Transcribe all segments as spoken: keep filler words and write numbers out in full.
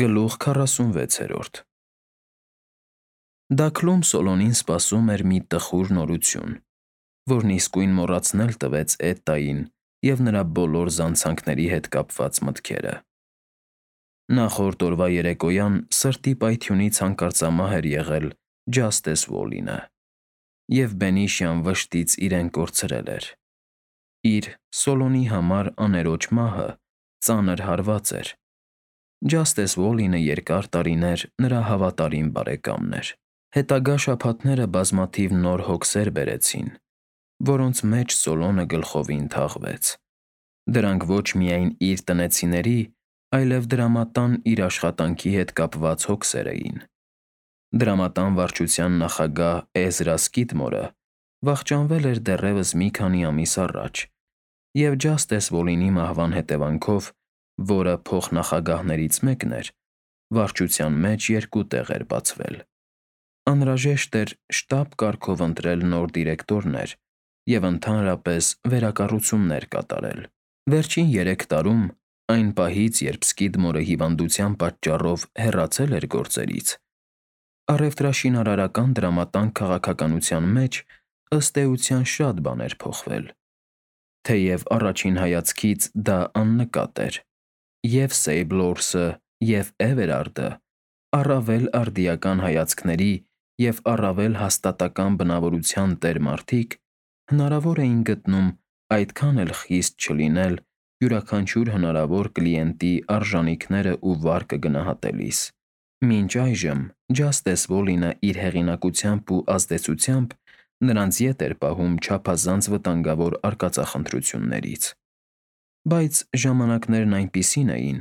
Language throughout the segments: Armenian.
Գլուխ քառասունվեցերորդ Դաքլում Սոլոնին սպասում էր մի տխուր նորություն, որն իսկույն մոռացնել տվեց Էտտային և նրա բոլոր զանցանքների հետ կապված մտքերը։ Նախորդ օրվա երեկոյան սրտի պայթյունից հանկարծամահ էր եղել Ջաստես Ուոլինը, և բենիշյան վշտից իրեն կորցրել էր։ Իր՝ Սոլոնի համար աներոջ մահը ծանր հարված էր։ Ջաստես Ուոլինը երկար տարիներ նրա հավատարիմ բարեկամն էր։ Հետագա շաբաթները բազմաթիվ նոր հոգսեր բերեցին, որոնց մեջ Սոլոնը գլխովին թաղվեց։ Դրանք ոչ միայն իր տնեցիների, այլև դրամատան իր աշխատանքի հետ կապված հոգսեր էին։ Դրամատան վարչության նախագահ Էզրա Սկիդմորը վախճանվել էր դեռևս մի քանի ամիս առաջ, և Ջաստես Ուոլինի մահվան հետևանքով, որը փոխնախագահներից մեկն էր, վարչության մեջ երկու տեղ էր բացվել։ Անհրաժեշտ էր շտապ կարգով ընտրել նոր դիրեկտորներ և ընդհանրապես վերակառուցումներ կատարել։ Վերջին երեք տարում, այն պահից, երբ Սկիդմորը հիվանդության պատճառով հեռացել էր գործերից, առևտրաշինարարական դրամատան քաղաքականության մեջ, ըստ էության, շատ բան էր փոխվել։ Թեև առաջին հայացքից դա աննկատ էր, և՛ Սեյբլորսը, և՛ Էվերարդը առավել արդիական հայացքների և առավել հաստատակամ բնավորության տեր մարդիկ հնարավոր էին գտնում այդքան էլ խիստ չլինել յուրաքանչյուր հնարավոր կլիենտի արժանիքներն ու վարկը գնահատելիս։ Մինչ այժմ Ջաստես Ուոլինը իր հեղինակությամբ ու ազդեցությամբ նրանց ետ էր պահում չափազանց վտանգավոր արկածախնդրություններից։ Բայց ժամանակներն այնպիսին էին,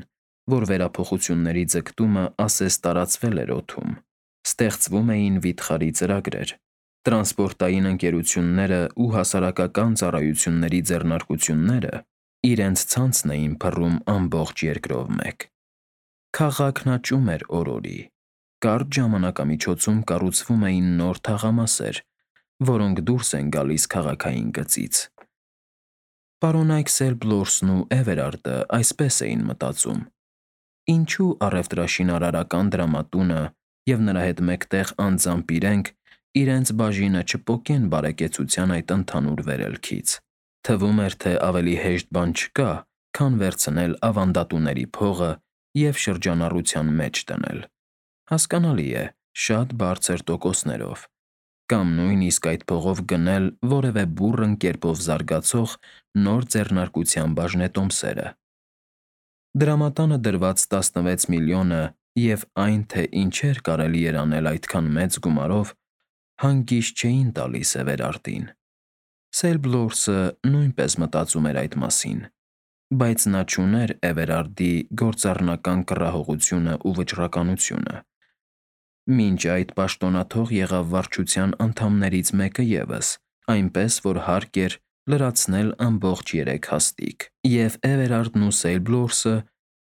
որ վերափոխությունների ձգտումը ասես տարածվել էր օդում։ Ստեղծվում էին վիթխարի ծրագրեր։ Տրանսպորտային ընկերություններն ու հասարակական ծառայությունների ձեռնարկությունները իրենց ցանցն էին փռում ամբողջ երկրով մեկ։ Քաղաքն աճում էր օր֊օրի։ Կարճ ժամանակամիջոցում կառուցվում էին նոր թաղամասեր, որոնք դուրս են գալիս քաղաքային գծից։ Պարոնայք Սեյբլորսն ու Էվերարդը այսպես էին մտածում. ինչու՞ առևտրաշինարարական դրամատունը և նրա հետ մեկտեղ անձամբ իրենք իրենց բաժինը չպոկեն բարեկեցության այդ ընդհանուր վերելքից։ Թվում էր, թե ավելի հեշտ բան չկա, քան վերցնել ավանդատուների փողը և շրջանառության մեջ դնել։ Հասկանալի է, շատ բարձր տոկոսներով, կամ նույնիսկ այդ փողով գնել որևէ բուռն կերպով զարգացող նոր ձեռնարկության բաժնետոմսերը։ Դրամատանը դրված տասնվեց միլիոնը և այն, թե ինչեր կարելի էր անել այդքան մեծ գումարով, հանգիստ չէին տալիս Էվերարդին։ Սեյբլորսը նույնպես մտածում էր այդ մասին, բայց նա չուներ Էվերարդի գործառնական կռահողությունն ու վճռականությունը։ Մինչ այդ պաշտոնաթող եղավ վարչության անդամներից մեկը ևս, այնպես որ հարկ էր լրացնել ամբողջ երեք հաստիք, և Էվերարդն ու Սեյբլորսը,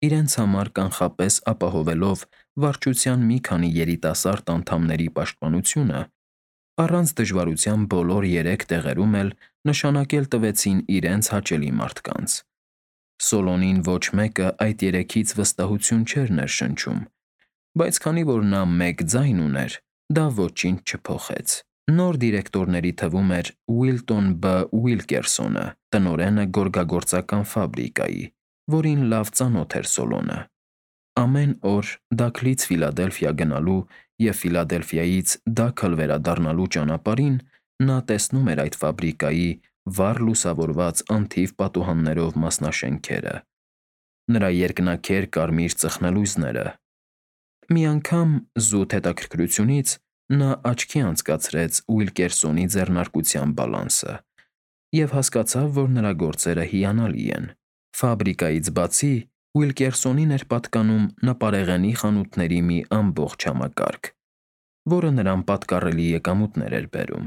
իրենց համար կանխապես ապահովելով վարչության մի քանի երիտասարդ անդամների պաշտպանությունը, առանց դժվարության բոլոր երեք տեղերում էլ նշանակել տվեցին իրենց հաճելի մարդկանց։ Սոլոնին ոչ մեկը այդ երեքից վստահություն չէր ներշնչում, բայց քանի որ նա մեկ ձայն ուներ, դա ոչինչ չփոխեց։ Նոր դիրեկտորների թվում էր Ուիլտոն Բ. Ուիլկերսոնը, տնօրենը գորգագործական ֆաբրիկայի, որին լավ ծանոթ էր Սոլոնը։ Ամեն օր Դաքլից Ֆիլադելֆիա գնալու և Ֆիլադելֆիայից Դաքլ վերադառնալու ճանապարհին նա տեսնում էր այդ ֆաբրիկայի վառ լուսավորված անթիվ պատուհաններով մասնաշենքերը, նրա երկնաքեր կարմիր ծխնելույզները։ Մի անգամ, զուտ հետաքրքրությունից, նա աչքի անցկացրեց Ուիլկերսոնի ձեռնարկության բալանսը և հասկացավ, որ նրա գործերը հիանալի են։ Ֆաբրիկայից բացի, Ուիլկերսոնին էր պատկանում նապարեղենի խանութների մի ամբողջ համակարգ, որը նրան պատկառելի եկամուտներ էր բերում։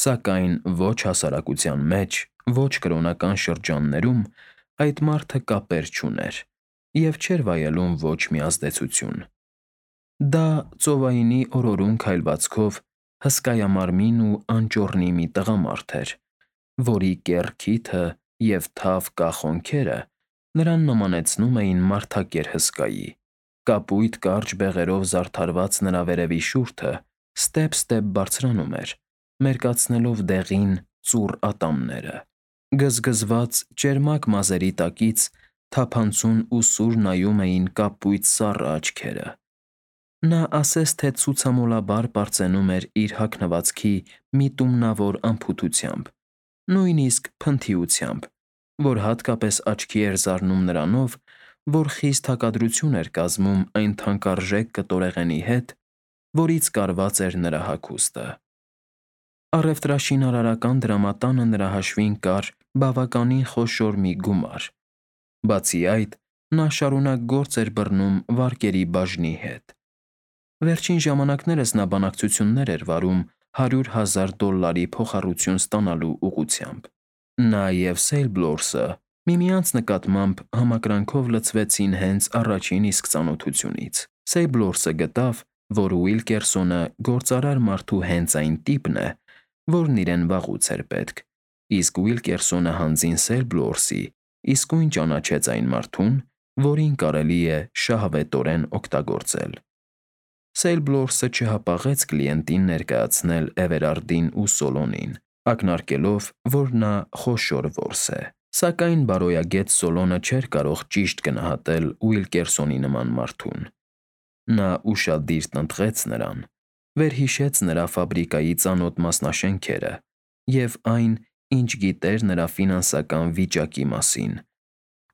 Սակայն ոչ հասարակության մեջ, ոչ կրոնական շրջաններում այդ մարդը կապեր չուներ և չէր վայելում ոչ մի ազդեցություն։ Դա ծովայինի օրորուն քայլվածքով հսկայամարմին ու անճոռնի մի տղամարդ էր, որի կեռ քիթը և թավ կախ հոնքերը նրան նմանեցնում էին մարդակեր հսկայի, Կապույտ կարճ բեղերով զարդարված նրա վերևի շուրթը ստեպ-ստեպ բարձրանում էր, մերկացնելով դեղին, ծուռ ատամները։ Գզգզված ճերմակ մազերի տակից թափանցուն ու սուր նայում էին կապույտ սառը աչքերը։ Նա ասես թե ցուցամոլաբար պարծենում էր իր հագնվածքի միտումնավոր անփութությամբ, նույնիսկ փնթիությամբ, որ հատկապես աչքի էր զարնում նրանով, որ խիստ հակադրություն էր կազմում այն թանկարժեք կտորեղենի հետ, որից կարված էր նրա հագուստը։ Առևտրաշինարարական դրամատանը նրա հաշվին կար բավականին խոշոր մի գումար։ Բացի այդ, նա շարունակ գործ էր բռնում վարկերի բաժնի հետ։ Վերջին ժամանակներս նա բանակցություններ էր վարում հարյուր հազար դոլարի փոխառություն ստանալու ուղղությամբ։ Նա և Սեյլբլորսը միմյանց նկատմամբ համակրանքով լցվեցին հենց առաջին իսկ ծանոթությունից։ Սեյլբլորսը գտավ, որ Ուիլկերսոնը գործարար մարդու հենց այն տիպն է, որն իրեն վաղուց էր պետք, իսկ Ուիլկերսոնը հանձին Սեյլբլորսի իսկույն ճանաչեց այն մարդուն, որին կարելի է շահավետորեն օգտագործել։ Սեյլբլորսը չհապաղեց կլիենտին ներկայացնել Էվերարդին ու Սոլոնին, ակնարկելով, որ նա խոշոր որս է։ Սակայն բարոյագետ Սոլոնը չէր կարող ճիշտ գնահատել Ուիլկերսոնի նման մարդուն։ Նա ուշադիր տնտղեց նրան, վերհիշեց նրա ֆաբրիկայի ծանոթ մասնաշենքերը և այն, ինչ գիտեր նրա ֆինանսական վիճակի մասին,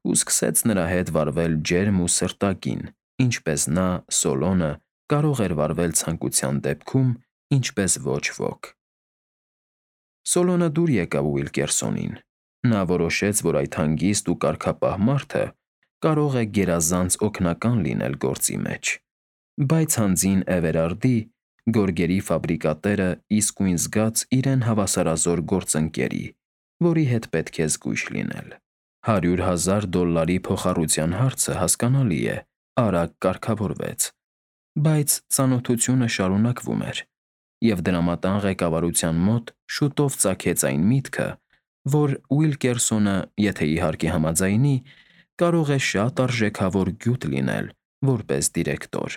ու սկսեց նրա հետ վարվել ջերմ ու սրտագին, ինչպես նա՝ Սոլոնը, կարող էր վարվել ցանկության դեպքում, ինչպես ոչ ոք։ Սոլոնը դուր եկավ Ուիլկերսոնին։ Նա որոշեց, որ այդ հանգիստ ու կարգապահ մարդը կարող է գերազանց օգնական լինել գործի մեջ, բայց հանձին Էվերարդի՝ գորգերի ֆաբրիկատերը իսկույն զգաց իրեն հավասարազոր գործընկերի, որի հետ պետք է զգույշ լինել։ Հարյուր հազար դոլարի փոխառության հարցը, հասկանալի է, արագ կարգավորվեց, բայց ծանոթությունը շարունակվում էր, և դրամատան ղեկավարության մոտ շուտով ծագեց այն միտքը, որ Ուիլկերսոնը, եթե իհարկե համաձայնի, կարող է շատ արժեքավոր գյուտ լինել որպես դիրեկտոր։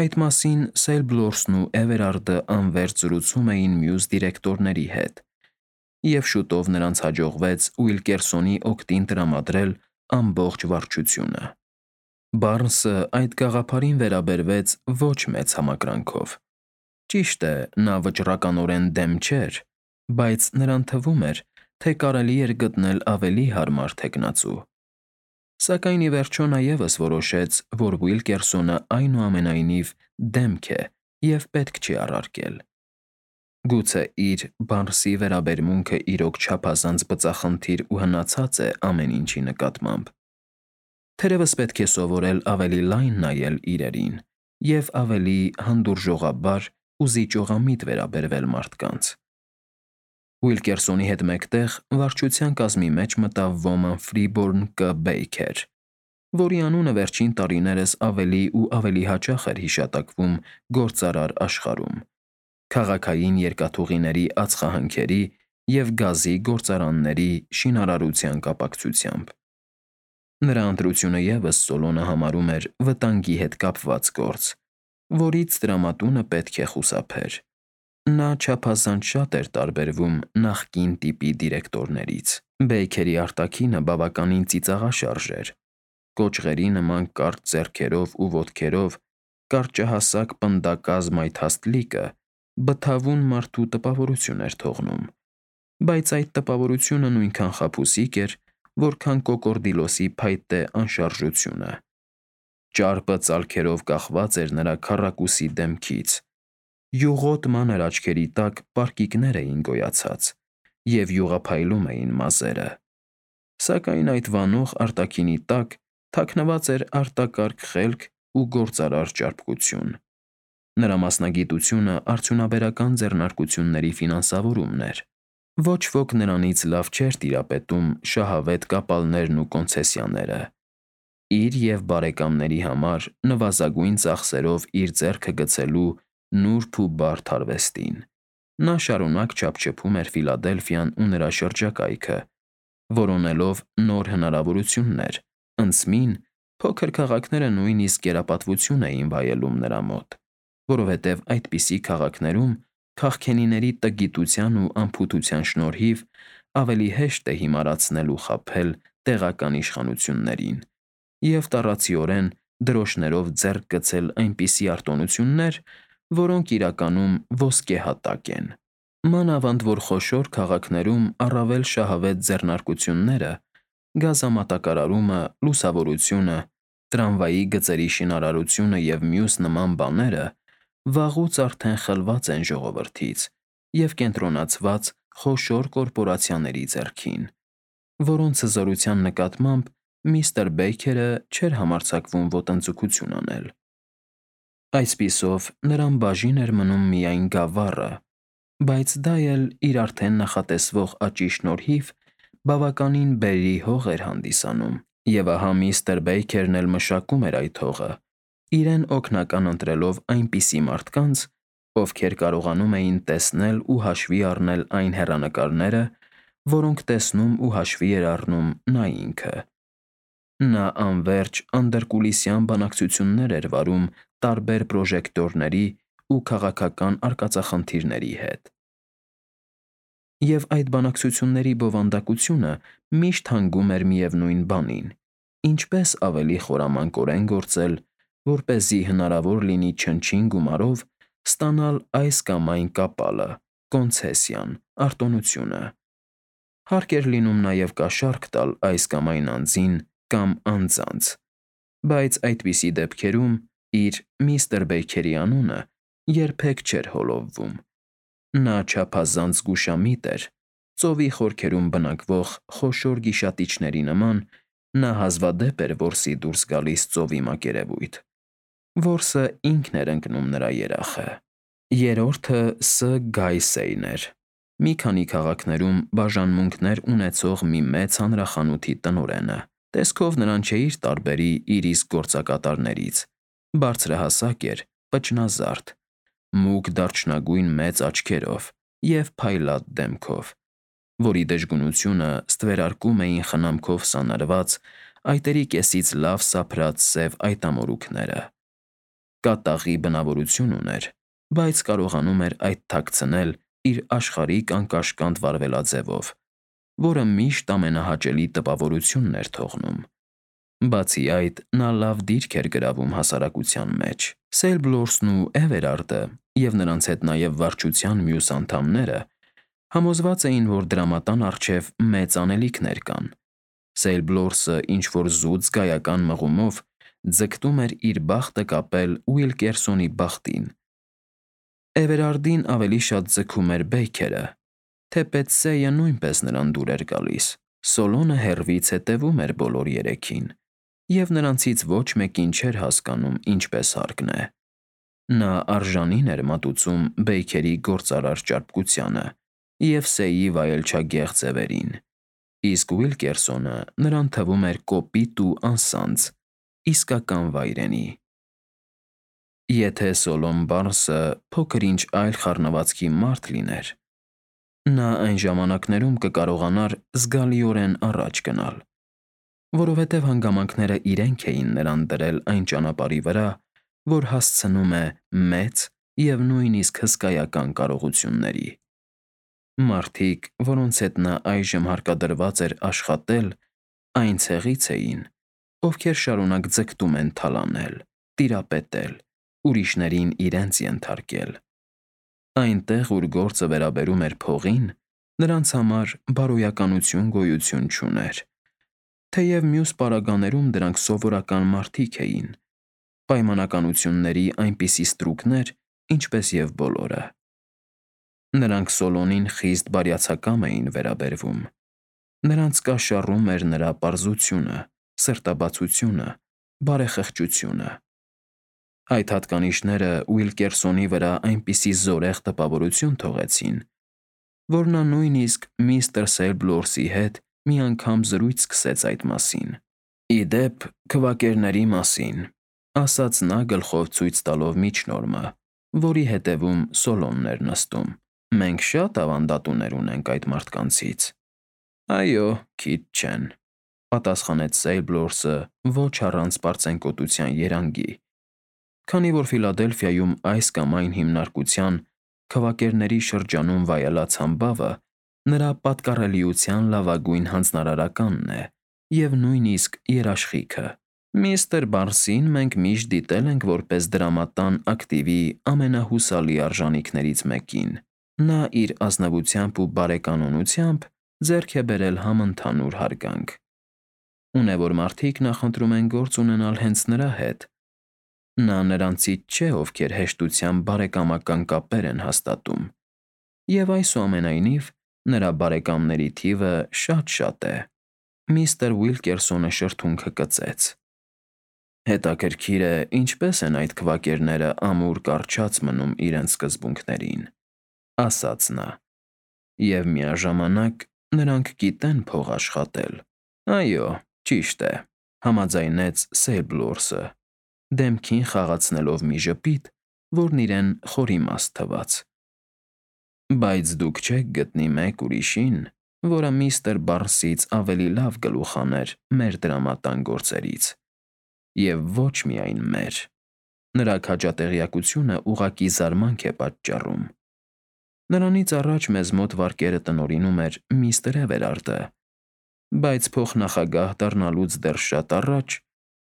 Այդ մասին Սեյլբլորսն ու Էվերարդը անվերջ զրուցում էին մյուս դիրեկտորների հետ, և շուտով նրանց հաջողվեց Ուիլկերսոնի օգտին տրամադրել ամբողջ վարչությունը։ Բարնսը այդ գաղափարին վերաբերվեց ոչ մեծ համակրանքով։ Ճիշտ է, նա վճռականորեն դեմ չէր, բայց նրան թվում էր, թե կարելի էր գտնել ավելի հարմար թեկնածու։ Սակայն ի վերջո նա ևս որոշեց, որ Ուիլկերսոնը այնուամենայնիվ դեմք է և պետք չի առարկել։ Գուցե իր՝ Բարնսի վերաբերմունքը իրոք չափազանց բծախնդիր ու հնացած է ամեն ինչի նկատմամբ։ Թերևս պետք է սովորել ավելի լայն նայել իրերին և ավելի հանդուրժողաբար ու զիջողամիտ վերաբերվել մարդկանց։ Ուիլկերսոնի հետ մեկտեղ վարչության կազմի մեջ մտավ ոմն Ֆրիբորն Կ. Բեյքեր, որի անունը վերջին տարիներս ավելի ու ավելի հաճախ էր հիշատակվում գործարար աշխարհում՝ քաղաքային երկաթուղիների ածխահանքերի և գազի գործարանների շինարարության կապակցությամբ։ Նրա ընտրությունը ևս Սոլոնը համարում էր վտանգի հետ կապված գործ, որից տրամատունը պետք է խուսափեր։ Նա չափազանց շատ էր տարբերվում նախկին տիպի դիրեկտորներից։ Բեյքերի արտաքինը բավականին ծիծաղաշարժ էր։ Կոճղերի նման կարճ ձեռքերով ու ոտքերով կարճահասակ պնդակազ մայթաստ լիկը բթավուն մարդու տպավորություն էր թողնում, բայց այդ տպավորությունը նույնքան խաբուսիկ էր, որքան կոկորդիլոսի փայտե անշարժությունը։ Ճարպը ծալքերով կախված էր նրա քառակուսի դեմքից, յուղոտ մանր աչքերի տակ պարկիկներ էին գոյացած, և յուղափայլում էին մազերը։ Սակայն այդ վանող արտաքինի տակ թաքնված էր արտակարգ խելք ու գործարար ճարպկություն։ Նրա մասնագիտությունը արդյունաբերական ձեռնարկությունների ֆինանսավորումն էր։ Ոչ ոք նրանից լավ չէր տիրապետում շահավետ կապալներն ու կոնցեսիաները։ Իր և բարեկամների համար նվազագույն ծախսերով իր ձեռքը գցելու նուրբ ու բարդ արվեստին։ Նա շարունակ չափչփում էր Ֆիլադելֆիան ու նրա շրջակայքը, որոնելով նոր հնարավորություններ, ընդսմին, Փոքր քաղաքները նույնիսկ կերապատվություն էին վայելում նրա մոտ, որովհետև այդպիսի քաղաքներում քաղքենիների տգիտության ու անփութության շնորհիվ ավելի հեշտ է հիմարացնել ու խաբել տեղական իշխանություններին և տառացիորեն դրոշներով ձեռք գցել այնպիսի արտոնություններ, որոնք իրականում ոսկեհատակ են։ Մանավանդ որ խոշոր քաղաքներում առավել շահավետ ձեռնարկությունները, գազամատակարարումը, լուսավորությունը, տրամվայի գծերի շինարարությունը և մյուս նման բաները վաղուց արդեն խլված են ժողովրդից և կենտրոնացված խոշոր կորպորացիաների ձեռքին, որոնց հզորության նկատմամբ միստր Բեյքերը չէր համարձակվում ոտնձգություն անել։ Այսպիսով, նրան բաժին էր մնում միայն գավառը, բայց դա էլ իր արդեն նախատեսվող աճի շնորհիվ բավականին բերրի հող էր հանդիսանում, և ահա միստր Բեյքերն էլ մշակում էր այդ հողը, իրեն օգնական ընտրելով այնպիսի մարդկանց, ովքեր կարողանում էին տեսնել ու հաշվի առնել այն հեռանկարները, որոնք տեսնում ու հաշվի էր առնում նա ինքը։ Նա անվերջ անդրկուլիսյան բանակցություններ էր վարում տարբեր պրոժեկտորների ու քաղաքական արկածախնդիրների հետ։ Եվ այդ բանակցությունների բովանդակությունը միշտ հանգում էր միևնույն բանին՝ ինչպես ավելի խորամանկորեն գործել, որպեսզի հնարավոր լինի չնչին գումարով ստանալ այս կամ այն կապալը, կոնցեսիան, արտոնությունը։ Հարկ էր լինում նաև կաշառք տալ այս կամ այն անձին կամ անձանց, բայց այդպիսի դեպքերում իր՝ միստր Բեյքերի անունը երբեք չէր հոլովվում։ Նա չափազանց զգուշամիտ էր, ծովի խորքերում բնակվող խոշոր գիշատիչների նման նա հազվադեպ էր որսի դուրս գալիս ծովի մակերևույթ։ Որսը ինքն էր ընկնում նրա երախը։ Երրորդը Ս. Գայսեյն էր՝ մի քանի քաղաքներում բաժանմունքներ ունեցող մի մեծ հանրախանութի տնօրենը։ Տեսքով նրան չէիր տարբերի իր իսկ գործակատարներից. բարձրահասակ էր, պճնազարդ, մուգ դարչնագույն մեծ աչքերով և փայլատ դեմքով, որի դժգունությունը ստվերարկում էին խնամքով սանրված, այտերի կեսից լավ սափրած սև այտամորուքները։ Կատաղի բնավորություն ուներ, բայց կարողանում էր այդ թաքցնել իր աշխարհիկ անկաշկանդ վարվելաձևով, որը միշտ ամենահաճելի տպավորությունն էր թողնում։ Բացի այդ, նա լավ դիրք էր գրավում հասարակության մեջ։ Սեյլբլորսն ու Էվերարդը և նրանց հետ նաև վարչության մյուս անդամները համոզված էին, որ դրամատան առջև մեծ անելիքներ կան։ Սեյլբլորսը ինչ-որ զուտ զգայական մղումով ձգտում էր իր բախտը կապել Ուիլկերսոնի բախտին։ Էվերարդին ավելի շատ ձգում էր Բեյքերը, թեպետ Սեյը նույնպես նրան դուր էր գալիս։ Սոլոնը հեռվից հետևում էր բոլոր երեքին, և նրանցից ոչ մեկին չէր հասկանում ինչպես հարկն է։ Նա արժանին էր մատուցում Բեյքերի գործարար ճարպկությանը և Սեյի վայելչագեղ ձևերին, իսկ Ուիլկերսոնը նրան թվում էր կոպիտ ու անսանձ, իսկական վայրենի։ Եթե Սոլոն Բարնսը փոքր-ինչ այլ խառնվածքի մարդ լիներ, նա այն ժամանակներում կկարողանար զգալիորեն առաջ գնալ, որովհետև հանգամանքները իրենք էին նրան դրել այն ճանապարհի վրա, որ հասցնում է մեծ և նույնիսկ հսկայական կարողությունների։ Մարդիկ, որոնց հետ նա այժմ հարկադրված էր աշխատել, այն ցեղից էին, ովքեր շարունակ ձգտում են թալանել, տիրապետել, ուրիշներին իրենց ենթարկել։ Այնտեղ, ուր գործը վերաբերում էր փողին, նրանց համար բարոյականություն գոյություն չուներ, թեև մյուս պարագաներում դրանք սովորական մարդիկ էին, պայմանականությունների այնպիսի ստրուկներ, ինչպես և բոլորը։ Նրանք Սոլոնին խիստ բարյացակամ էին վերաբերվում։ Նրանց կաշառում էր նրա պարզությունը, սրտաբացությունը, բարեխղճությունը։ Այդ հատկանիշները Ուիլկերսոնի վրա այնպիսի զորեղ տպավորություն թողեցին, որ նա նույնիսկ միստր Սեյլբլորսի հետ մի անգամ զրույց սկսեց այդ մասին։ «Ի դեպ, քվակերների մասին», ֊ ասաց նա գլխով ցույց տալով միջնորմը, որի հետևում Սոլոնն էր նստում։ «Մենք շատ ավանդատուներ ունենք այդ մարդկանցից»։ «Այո, քիչ չեն»։ պատասխանեց Սեյլբլորսը ոչ առանց պարծենկոտության երանգի, քանի որ Ֆիլադելֆիայում այս կամ այն հիմնարկության քվակերների շրջանում վայելած համբավը նրա պատկառելիության լավագույն հանձնարարականն է և նույնիսկ երաշխիքը։ Միստր Բարսին մենք միշտ դիտել ենք որպես դրամատան ակտիվի ամենահուսալի արժանիքներից մեկին։ Նա իր ազնվությամբ ու բարեկանոնությամբ ձեռք է բերել համընդհանուր հարգանք։ Ունե որ մարդիկ նախընտրում են գործ ունենալ հենց նրա հետ։ Նա նրանցից չէ, ովքեր հեշտությամբ բարեկամական կապեր են հաստատում, և այսուամենայնիվ նրա բարեկամների թիվը շատ-շատ է։ Միստր Ուիլկերսոնը շրթունքը կծեց։ Հետաքրքիր է, ինչպես են այդ քվակերները ամուր կառչած մնում իրենց սկզբունքներին, ասաց նա, և միաժամանակ նրանք գիտեն փող աշխատել։ Այո, ճիշտ է, համաձայնեց Սեյլբլորսը, դեմքին խաղացնելով մի ժպիտ, որն իրեն խորիմաստ թվաց։ Բայց դուք չեք գտնի մեկ ուրիշին, որը միստր Բարսից ավելի լավ գլուխ աներ մեր դրամատան գործերից, և ոչ միայն մեր։ Նրա քաջատեղյակությունը ուղղակի զարմանք է պատճառում։ Նրանից առաջ մեզ մոտ վարկերը տնօրինում էր միստր Էվերարդը, բայց փոխնախագահ դառնալուց դեռ շատ առաջ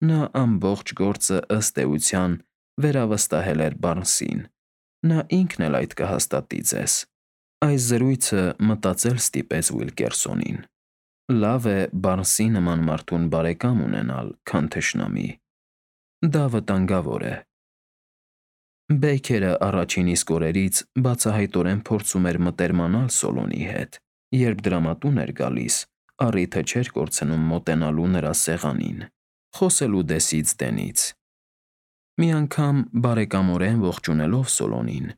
նա ամբողջ գործը ըստ էության վերավստահել էր Բարսին։ Նա ինքն էլ այդ կհաստատի ձեզ։ Այս զրույցը մտածել ստիպեց Ուիլկերսոնին։ Լավ է Բարսի նման մարդուն բարեկամ ունենալ, քան թշնամի։ Դա վտանգավոր է։ Բեյքերը առաջին իսկ օրերից բացահայտորեն փորձում էր մտերմանալ Սոլոնի հետ։ Երբ դրամատուն էր գալիս, առիթը չէր կորցնում մոտենալու նրա սեղանին, խոսելու դեսից դենից։ Մի անգամ բարեկամորեն ողջունելով Սոլոնին,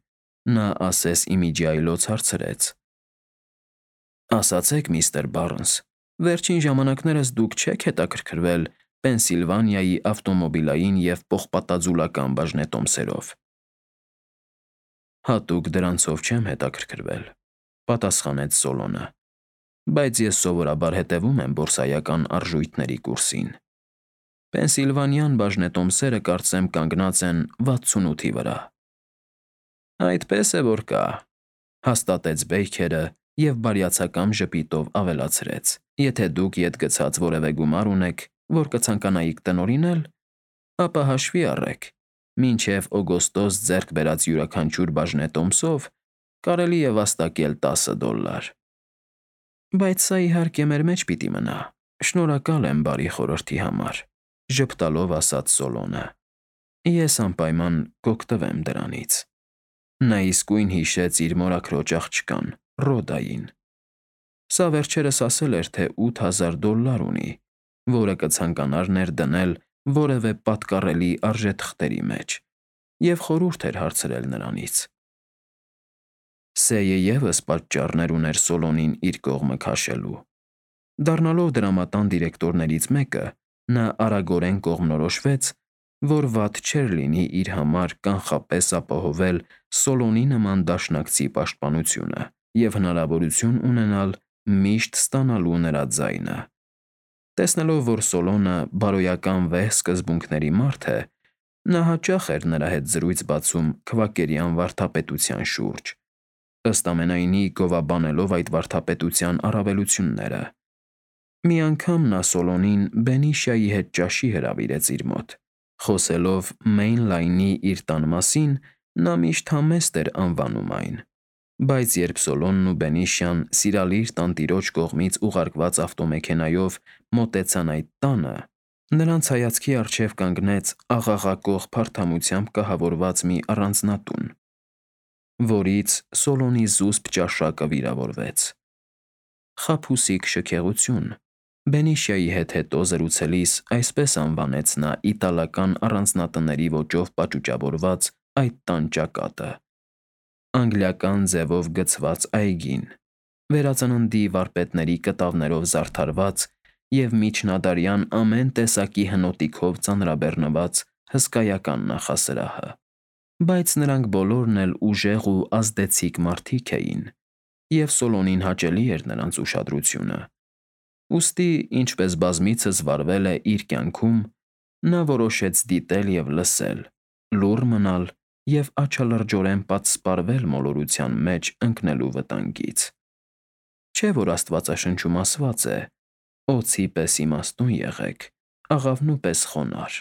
նա ասես ի միջի այլոց հարցրեց. Ասացեք, միստր Բարնս, վերջին ժամանակներս դուք չե՞ք հետաքրքրվել Պենսիլվանիայի ավտոմոբիլային և պողպատաձուլական բաժնետոմսերով։ Հատուկ դրանցով չեմ հետաքրքրվել, պատասխանեց Սոլոնը, բայց ես սովորաբար հետևում եմ բորսայական արժույթների կուրսին։ Պենսիլվանյան բաժնետոմսերը կարծեմ կանգնած են վաթսունութի վրա։ Այդպես է որ կա, հաստատեց Բեյքերը և բարյացակամ ժպիտով ավելացրեց. Եթե դուք ետ գցած որևէ գումար ունեք, որ կցանկանայիք տնօրինել, ապա հաշվի առեք, մինչև օգոստոս ձեռք բերած յուրաքանչյուր բաժնետոմսով կարելի է վաստակել տասը դոլար։ Բայց սա իհարկե մեր մեջ պիտի մնա։ Շնորհակալ եմ բարի խորհրդի համար, ժպտալով ասաց Սոլոնը։ Ես անպայման կօգտվեմ դրանից։ Նա իսկույն հիշեց իր մորաքրոջ աղջկան, Ռոդային։ Սա վերջերս ասել էր, թե ութ հազար դոլար ունի, որը կցանկանար ներդնել որևէ պատկառելի արժեթղթերի մեջ, և խորհուրդ էր հարցրել նրանից։ Սեյը ևս պատճառներ ուներ Սոլոնին իր կողմը քաշելու։ Դառնալով դրամատան դիրեկտորներից մեկը, նա արագորեն կողմնորոշվեց, որ վատ չէր լինի իր համար կանխապես ապահովել Սոլոնի նման դաշնակցի պաշտպանությունը և հնարավորություն ունենալ միշտ ստանալու նրա ձայնը։ Տեսնելով, որ Սոլոնը բարոյական վեհ սկզբունքների մարդ է, նա հաճախ էր նրա հետ զրույց բացում քվակերյան վարդապետության շուրջ, ըստ ամենայնի գովաբանելով այդ վարդապետության առավելությունները։ Մի անգամ նա Սոլոնին Բենիշիայի հետ ճաշի հրավիրեց իր մոտ։ Խոսելով Մեյնլայնի իր տան մասին, նա միշտ համեստ էր անվանում այն, բայց երբ Սոլոնն ու Բենիշիան սիրալիր տանտիրոջ կողմից ուղարկված ավտոմեքենայով մոտեցան այդ տանը, նրանց հայացքի առջև կանգնեց աղաղակող փարթամությամբ կահավորված մի առանձնատուն, որից Սոլոնի զուսպ ճաշակը վիրավորվեց։ Խաբուսիկ շքեղություն, Բենիշիայի հետ հետո զրուցելիս այսպես անվանեց նա իտալական առանձնատների ոճով պաճուճավորված այդ տան ճակատը։ Անգլիական ձևով գծված այգին, վերածննդի վարպետների կտավներով զարդարված և միջնադարյան ամեն տեսակի հնոտիքով ծանրաբեռնված հսկայական նախասրահը։ Բայց նրանք բոլորն էլ ուժեղ ու ազդեցիկ մարդիկ էին, և Սոլոնին հաճելի էր նրանց ուշադրությունը։ Ուստի, ինչպես բազմիցս վարվել է իր կյանքում, նա որոշեց դիտել և լսել, լուռ մնալ և աչալրջորեն պատսպարվել մոլորության մեջ ընկնելու վտանգից։ Չէ՞ որ Աստվածաշնչում ասված է. «Օձի պես իմաստուն եղեք, աղավնու պես խոնարհ»։